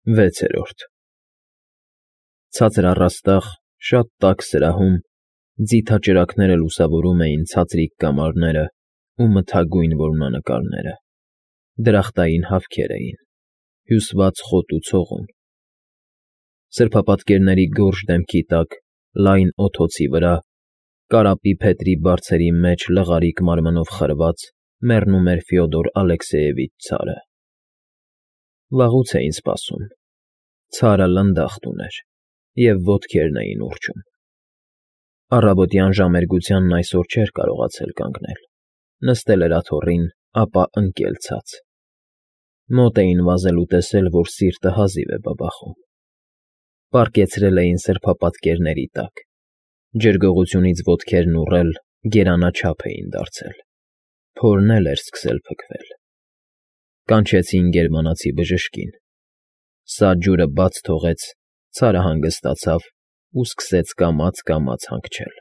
6 Ցածր առաստաղ, շատ տաք սրահում ձիթաճրագները լուսավորում էին ցածրիկ կամարները ու մթագույն որմնանկարները, դրախտային հավքեր էին, հյուսված խոտ ու ցողուն, սրբապատկերների գորշ դեմքի տակ, լայն օդոցի վրա, կարապի փետրի բարձերի մեջ լղարիկ մարմնով խրված մեռնում էր Ֆյոդոր Ալեքսեևիչ ցարը։ Վաղուց էին սպասում, ցարը լնդախտ ուներ, և ոտքերն էին ուռչում։ Առավոտյան ժամերգությանն այսօր չէր կարողացել կանգնել, նստել էր աթոռին, ապա ընկել ցած։ Մոտ էին վազել ու տեսել, որ սիրտը հազիվ է բաբախում։ Պառկեցրել էին սրբապատկերների տակ, ջրգողությունից ոտքերն ուռել, գերանաչափ էին դարձել, փորն էլ էր սկսել փքվել։ Կանչեցին գերմանացի բժշկին։ Սա ջուրը բաց թողեց, ցարը հանգստացավ ու սկսեց կամաց հանգչել։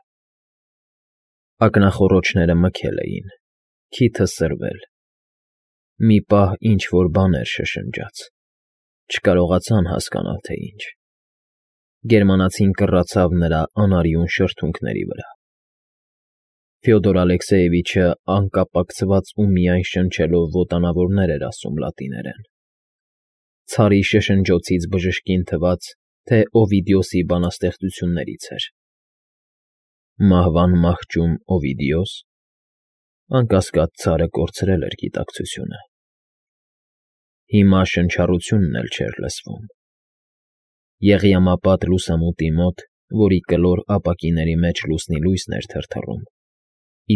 Ակնախոռոչները մքել էին, քիթը սրվել։ Մի պահ ինչ֊որ բաներ շշնջաց, չկարողացան հասկանալ, թե ինչ։ Գերմանացին կռացավ նրա անարյուն շրթունքների վրա։ Ֆյոդոր Ալեքսեևիչը անկապակցված ու միայն շնչելով ոտանավորներ էր ասում լատիներեն։ Ցարի շշնջոցից բժշկին թվաց, թե Օվիդիոսի բանաստեղծություններից էր։ Մահվան մահճում Օվիդիոս։ Անկասկած ցարը կորցրել էր գիտակցությունը։ Հիմա շնչառությունն էլ չէր լսվում։ Եղյամապատ լուսամուտի մոտ, որի կլոր ապակիների մեջ լուսնի լույսն էր թրթռում,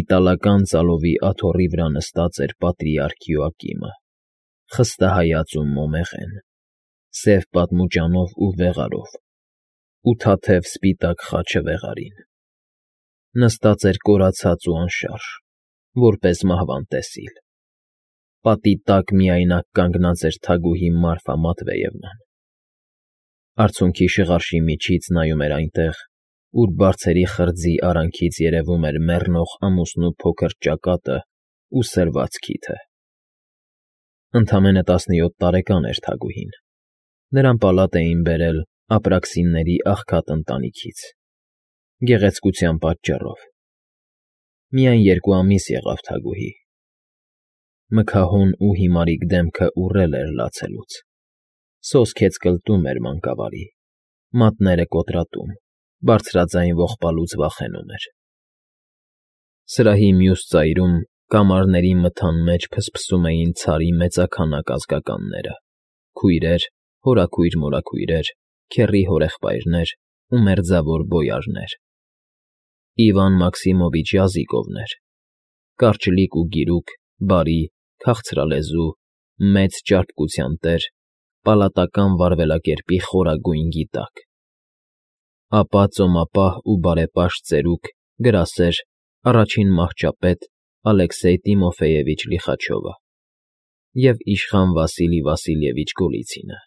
իտալական ծալովի աթոռի վրա նստած էր պատրիարք Յոակիմը, խստահայաց ու մոմեղեն, սև պատմուճանով ու վեղարով, ու թաթև սպիտակ խաչը վեղարին։ Նստած էր կորացած ու անշարժ, որպես մահվան տեսիլ։ Պատի տակ միայնակ կանգնած էր թագուհի Մարֆա Մատվեևնան։ Արցունքի շղարշի միջից նայում էր այնտեղ, ուր բարձերի խրձի արանքից երևում էր մեռնող ամուսնու փոքր ճակատն ու սրված քիթը։ Ընդամենը 17 տարեկան էր թագուհին։ Նրան պալատ էին բերել Ապրաքսինների աղքատ ընտանիքից, գեղեցկության պատճառով։ Միայն 2 ամիս եղավ թագուհի։ Մքահոն ու հիմարիկ դեմքը ուռել էր լացելուց, սոսկեց կլտում էր մանկավարի, մատները կոտրատում, բարձրաձայն ողբալուց վախենում էր։ Սրահի մյուս ծայրում կամարների մթան մեջ փսփսում էին ցարի մեծաքանակ ազգականները՝ քույրեր, հորաքույր֊մորաքույրեր, քեռի հորեղբայրներ ու մերձավոր բոյարներ։ Իվան Մաքսիմովիչ Յազիկովն էր, կարճլիկ ու գիրուկ, բարի, քաղցրալեզու, մեծ ճարպկության տեր, պալատական վարվելակերպի խորագույն գիտակ։ Ապա ծոմապահ ու բարեպաշտ ծերուկ, գրասեր, առաջին մահճապետ Ալեքսեյ Տիմոֆեևիչ Լիխաչովը և իշխան Վասիլի Վասիլևիչ Գոլիցինը,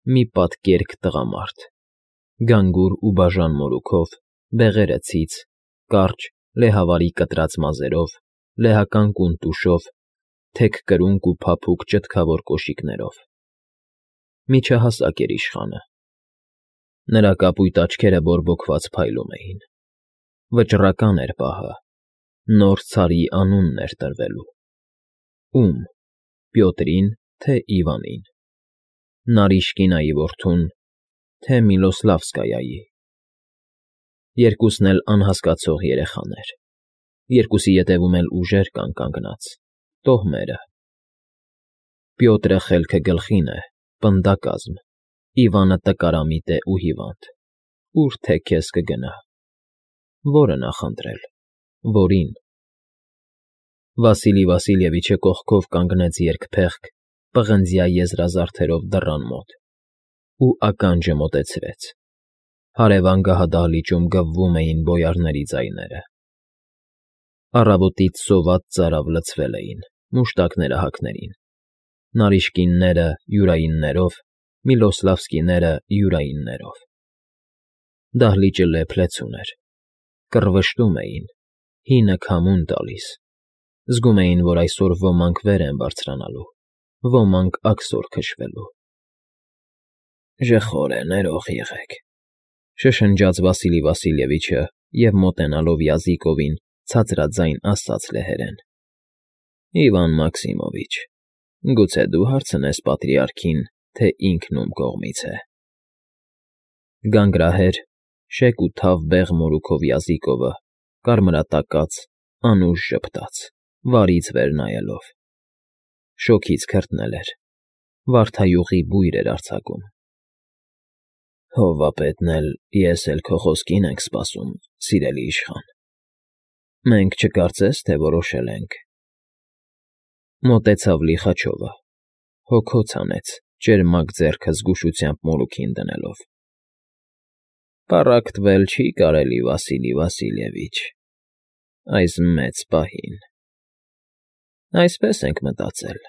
մի պատկերք տղամարդ, գանգուր ու բաժան մորուքով, բեղերը ցից, կարճ, լեհավարի կտրած մազերով, լեհական կունտուշով, թեք կրունկ ու փափուկ ճտկավոր կոշիկներով։ Միջահասակ էր իշխանը։ Նրա կապույտ աչքերը բորբոքված փայլում էին։ Վճռական էր պահը, նոր ցարի անունն էր տրվելու։ Ում՝ Պյոտրին, թե Իվանին, Նարիշկինայի որդուն, թե Միլոսլավսկայայի։ Երկուսն էլ անհասկացող երեխաներ, երկուսի ետևում էլ ուժեր կան կանգնած, տոհմերը։ Պյոտրը խելքը գլխին է, պնդակազմ, Իվանը տկարամիտ է ու հիվանդ, ուր թե քեզ կգնա։ Ո՞րը նախընտրել, որին։ Վասիլի Վասիլևիչը կողքով կանգնեց երկփեղկ, պղնձյա եզրազարդերով դռան մոտ ու ականջը մոտեցրեց։ Հարևան գահադահլիճում գվվում էին բոյարների ձայները։ Առավոտից սոված ծարավ լցվել էին, մուշտակները հագներին, Նարիշկինները յուրայիններով, Միլոսլավսկիները յուրայիններով։ Դահլիճը լեփ-լեցուն էր, կռվշտում էին, հինը քամուն տալիս, զգում էին, որ այսօր ոմանք վեր են բարձրանալու, ոմանք աքսոր քշվելու։ Ժխոր է, ներող եղեք,֊ շշնջաց Վասիլի Վասիլևիչը և, մոտենալով Յազիկովին, ցածրաձայն ասաց լեհերեն. Իվան Մաքսիմովիչ, գուցե դու հարցնես պատրիարքին, թե ինքն ում կողմից է… Գանգրահեր, շեկ ու թավ բեղ մորուքով Յազիկովը, կարմրատակած, անուշ ժպտաց, վարից վեր նայելով. շոգից քրտնել էր, վարդայուղի բույր էր արձակում։ Հովվապետն էլ, ես էլ քո խոսքին ենք սպասում, սիրելի իշխան, մենք չկարծես, թե որոշել ենք… Մոտեցավ Լիխաչովը, հոգոց հանեց, ճերմակ ձեռքը զգուշությամբ մորուքին դնելով. Պառակտվել չի կարելի, Վասիլի Վասիլևիչ, այս մեծ պահին… Այսպես ենք մտածել.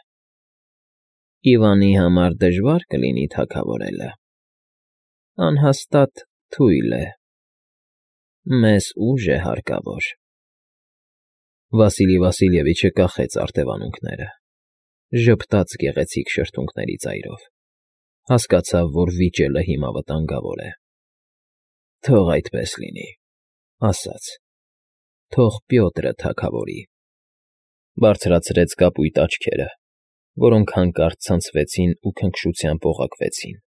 Իվանի համար դժվար կլինի թագավորելը, անհաստատ թույլ է, մեզ ուժ է հարկավոր… Վասիլի Վասիլևիչը կախեց արտևանունքները, ժպտաց գեղեցիկ շրթունքների ծայրով, հասկացավ, որ վիճելը հիմա վտանգավոր է։ Թող այդպես լինի, ասաց, թող Պյոտրը թագավորի… Բարձրացրեց կապույտ աչքերը, որոնք հանկարծ ցնցվեցին ու քնքշությամբ օղակվեցին.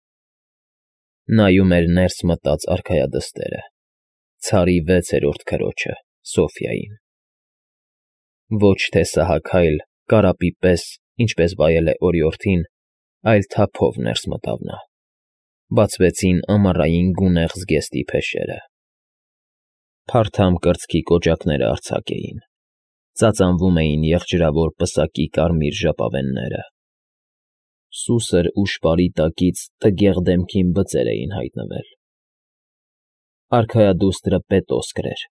նայում էր ներս մտած արքայադստերը, ցարի 6-րդ քրոջը՝ Սոֆյային… Ոչ թե սահաքայլ, կարապի պես, ինչպես վայել է օրիորդին, այլ թափով ներս մտավ նա… Բացվեցին ամառային գունեղ զգեստի փեշերը… Փարթամ կրծքի կոճակները արձակ էին, ծածանվում էին եղջրավոր պսակի կարմիր ժապավենները… Սուսր ու շպարի տակից տգեղ դեմքին բծեր էին հայտնվել… Արքայադուստրը պետոսկր էր,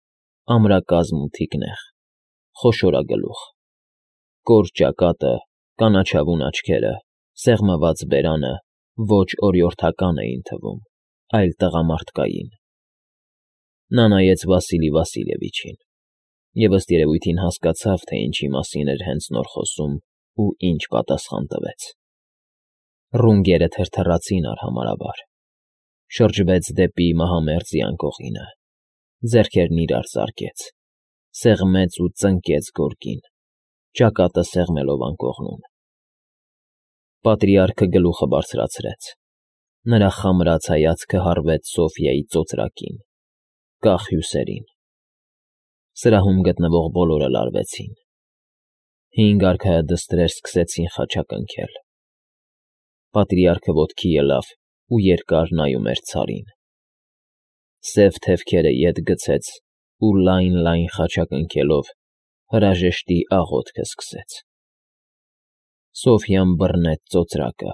ամրակազմ ու թիկնեղ, խոշորագլուխ, կոր ճակատը, կանաչավուն աչքերը, սեղմված բերանը ոչ օրիորդական էին թվում, այլ տղամարդկային… Նա նայեց Վասիլի Վասիլևիչին և ըստ երևույթին հասկացավ, թե ինչի մասին էր հենց նոր խոսում ու ինչ պատասխան տվեց… Ռունգերը թրթռացին արհամարհաբար, շրջվեց դեպի մահամերձի անկողինը, ձեռքերն իրար զարկեց, սեղմեց ու ծնկեց գորգին, ճակատը սեղմելով անկողնում… Պատրիարքը գլուխը բարձրացրեց, նրա խամրած հայացքը հառվեց Սոֆյայի ծոծրակին, կախ հյուսերին… Սրահում գտնվող բոլորը լարվեցին… 5 արքայադստրեր սկսեցին խաչակնքել… Պատրիարքը ոտքի ելավ ու երկար նայում էր ցարին… Սև թևքերը ետ գցեց ու լայն խաչակնքելով հրաժեշտի աղոթքը սկսեց… Սոֆյան բռնեց ծոծրակը,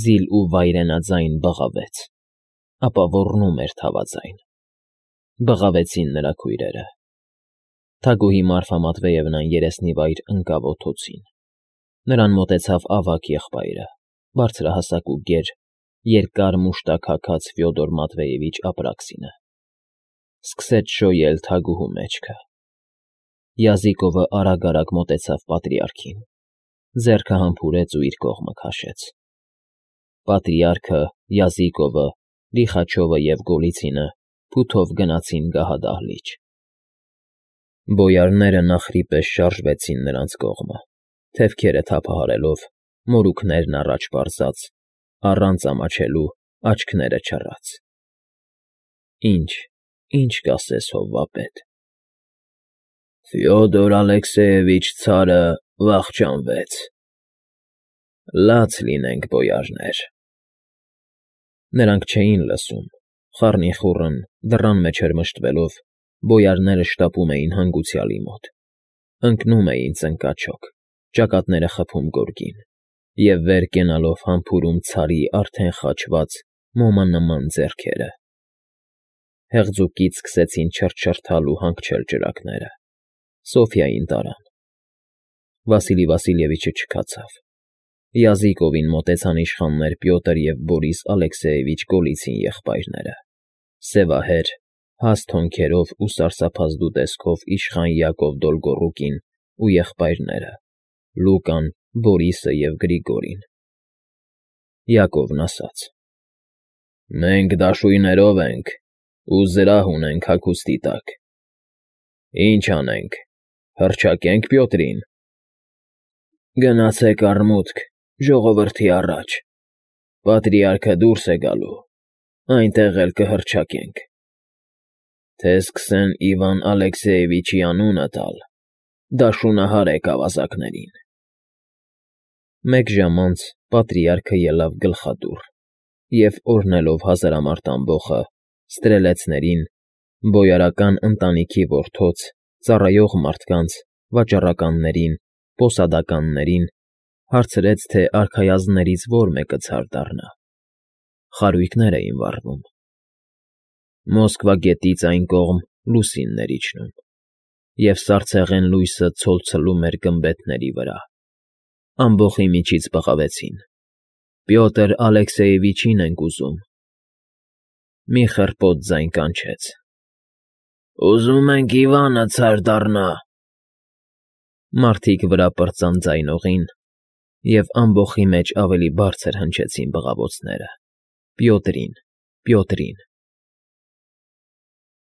զիլ ու վայրենաձայն բղավեց, ապա ոռնում էր թավաձայն… Բղավեցին նրա քույրերը… Թագուհի Մարֆա Մատվեևնան երեսնիվայր ընկավ օդոցին… Նրան մոտեցավ ավագ եղբայրը, բարձրահասակ ու գեր, երկար մուշտակ հագած Ֆյոդոր Մատվեևիչ Ապրաքսինը… Սկսեց շոյել թագուհու մեջքը… Յազիկովը արագ մոտեցավ պատրիարքին, ձեռքը համբուրեց ու իր կողմը քաշեց… Պատրիարքը, Յազիկովը, Լիխաչովը և Գոլիցինը փութով գնացին գահադահլիճ… Բոյարները նախրի պես շարժվեցին նրանց կողմը, թևքերը թափահարելով, մորուքներն առաջ պարզած, առանց ամաչելու, աչքները չռած… Ինչ կասես, հովվապետ… Ֆյոդոր Ալեքսեևիչ ցարը վախճանվեց… Լաց լինենք, բոյարներ… Նրանք չէին լսում, խառնիխուռն, դռան մեջ հրմշտվելով, բոյարները շտապում էին հանգուցյալի մոտ, ընկնում էին ծնկաչոք, ճակատները խփում գորգին և վեր կենալով համբուրում ցարի արդեն խաչված, մոմանման ձեռքերը… Հեղձուկից սկսեցին չրթչրթալ ու հանգչել ճրագները… Սոֆյային տարան… Վասիլի Վասիլևիչը չքացավ… Յազիկովին մոտեցան իշխաններ Պյոտր և Բորիս Ալեքսեևիչ Գոլիցին եղբայրները, սևահեր, հաստ հոնքերով ու սարսափազդու տեսքով իշխան Յակով Դոլգոռուկին ու եղբայրները՝ Լուկան, Բորիսը և Գրիգորին… Յակովն ասաց. Մենք դաշույներով ենք ու զրահ ունենք հագուստի տակ։ Ինչ անենք, հռչակե՞նք Պյոտրին։ Գնացեք առմուտք, ժողովրդի առաջ, պատրիարքը դուրս է գալու, այնտեղ էլ կհռչակենք, թե սկսեն Իվան Ալեքսեևիչի անունը տալ, դաշունահարեք ավազակներին։ Մեկ ժամ անց պատրիարքը ելավ գլխադուռ և, օրհնելով հազարամարդ ամբոխը, ստրելեցներին, բոյարական ընտանիքի որդոց, ծառայող մարդկանց, վաճառականներին, պոսադականներին, հարցրեց, թե արքայազններից ո՞ր մեկը ցար դառնա։ Խարույկներ էին վառվում։ Մոսկվա գետից այն կողմ լուսինն էր իջնում, և սառցեղեն լույսը ցոլցլում էր գմբեթների վրա։ Ամբոխի միջից բղավեցին. «Պյոտր Ալեքսեևիչին ենք ուզում»։ Մի խռպոտ ձայն կանչեց. «Ուզում ենք Իվանը ցար դառնա»։ Մարդիկ վրա պրծան ձայնողին, և ամբոխի մեջ ավելի բարձր հնչեցին բղավոցները. «Պյոտրին, Պյոտրին»։